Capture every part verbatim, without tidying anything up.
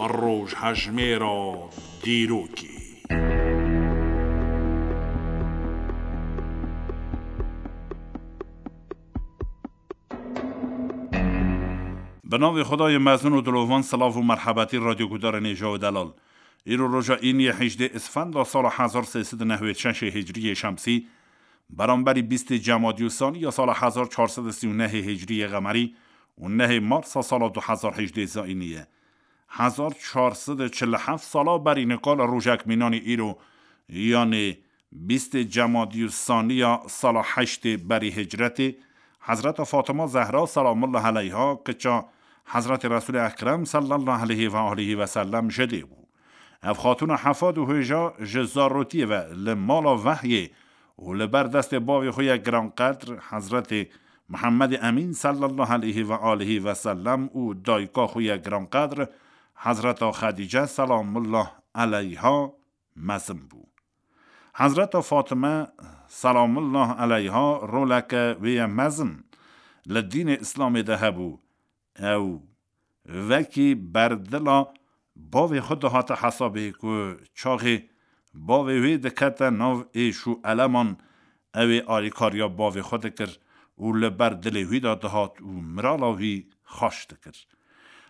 Rojhejmêra dîrokê. Bi navê Xwedayê mezin û dilovan, silav û merhebetî radyogudarên hêja û delal. Îro roja îniyê hejdê Isfenda sala hezar sê sed û nehwêd şeşê hicriyê şemsî, beramberî bîstê Cemadî û Sanî ya sala hezar çar sed û sî û nehê hicriyê qemerî û nehê Marsa sala du hezar hejdê zayînî ye. Hezar çar sed û çil û heft sala berî nika li rojek mînanî îro, yanê bîstê Cemadî û Sanî ya sala heştê berî hicretê, Hezreta Fatima Zehra selamullah eleyha, kiça Hezretê Resûlê Ekrem sallallahu aleyhi ve aleyhi ve sellem ji dê bû. Ev xatûna hefad û hêja ji zarotiyê ve li mala vehyê û li ber destê bavê xwe yê giranqedr Hezretê Muhammedê Emîn sallallahu aleyhi ve aleyhi ve sellem û dayika xwe yê giranqedr Hezreta Xedîce selamullah eleyha mezin bû. Hezreta Fatime selamullah eleyha roleke wê ye mezin li dînê Îslamê de hebû. Ew wekî berdila bavê xwe dihate hesabê ku çaxê bavê wê dikete nav êş û eleman, ew ê alîkariya bavê xwe dikir û li ber dilê wî de dihat û mirala wî xweş dikir.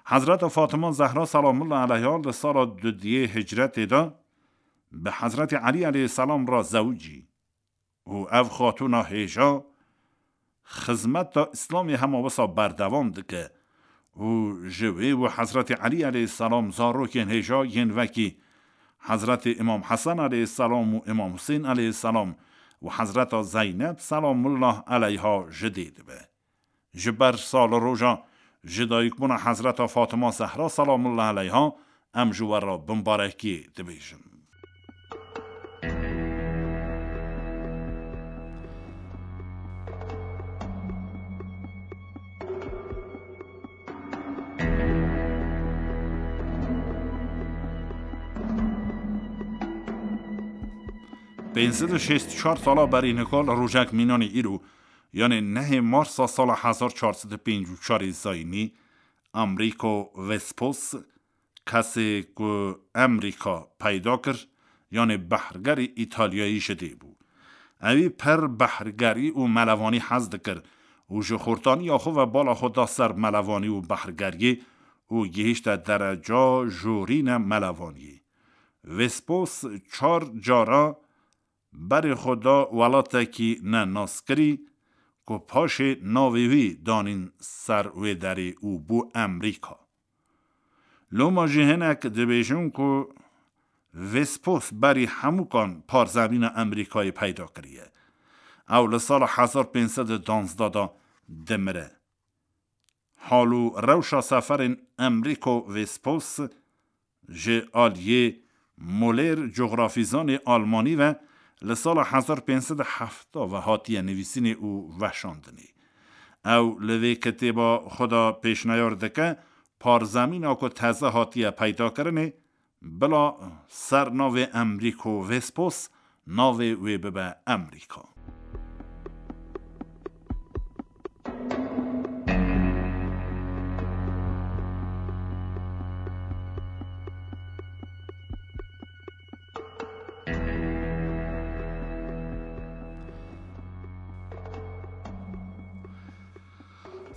Hezreta Fatima Zehra selamullah eleyha li sala dudiyê hicretê de bi Hezretî Elî eleyhisselam re zewicî û ev xatûna hêja xizmeta Îslamê hema wisa berdewam dike û ji wê û Hezretî Elî eleyhisselam zarokên hêja yên wekî Hezretî Îmam Hesen eleyhisselam û Îmam Husên eleyhisselam û Hezreta Zeyneb selamullah eleyha ji dê dibe. Ji ber sal û roja ji dayikbûna Hezreta Fatima Zehra selamullah eleyha em ji we re bimbarekî dibêjin. Pênc sed û şêst û çar sala berî nika li rojek mînanê îro, yanê nehê Marsa sala hezar çar sed û pêncî û çarê zayînî, Amrîko Vespos, kesê ku Amrîka peyda kir, yanê behrgerî Îtalyayî ji dê bû. Ewî pir behrgerî û melevanî hez dikir û ji xortaniya xwe ve bala xwe da ser melevanî û behrgeriyê û gihîşte dereca jorîne melevaniyê. Vespos çar cara berê xwe da welatekî ne naskirî ku paşê navê wî danîn ser wê derê û bû Emrîka. Loma jî hinek dibêjin ku Vespos berî hemûkan parzemîna Emrîkayê peyda kiriye. Ew li sala hezar pênc sed û duwazdeh de dimire. Hal û rewşa seferên Emrîko Vespos ji aliyê Molêr cografîzanê almanî ve li sala hezar pênc sed û hefta ve hatiye nivîsînê û veşandinê. Ew li vê kitêba xwe de pêşniyar dike, parzemîna ku teze hatiye peydakirinê, bila ser navê Emrîko Vespos navê wê bibe Emrîka.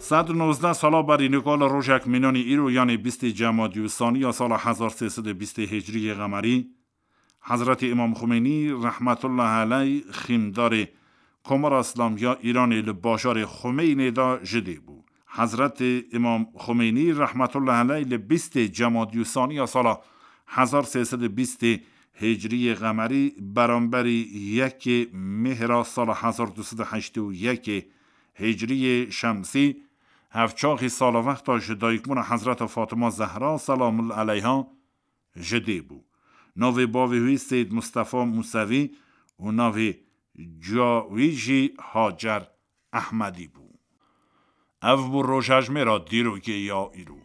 Sed û nozdeh sala berî nika li rojek mînanî îro, yanê bîstê Cemadî û Sanî ya sala hezar sê sed û bîstê hicriyê qemerî, Hezretî Îmam Xumeynî rehmetullah eleyh xîmdarê Komara Îslamî ya Îranê li bajarê Xumeynê de ji dê bû. Hezretî Îmam Xumeynî rehmetullah eleyh li bîstê Cemadî û Sanî ya sala hezar sê sed û bîstê hicriyê qemerî, beramberî yekê Mêhra sala hezar du sed û heştê û yekê hicriyê şemsî, hevçaxî salvexta ji dayikbûna Hezreta Fatima Zehra selamullah eleyha ji dê bû. Navê bavê wî Seyd Mustefa Musevî û navê ciya wî jî Hacer Ehmedî bû. Ev bû rojhejmêra dîrokê ya îro.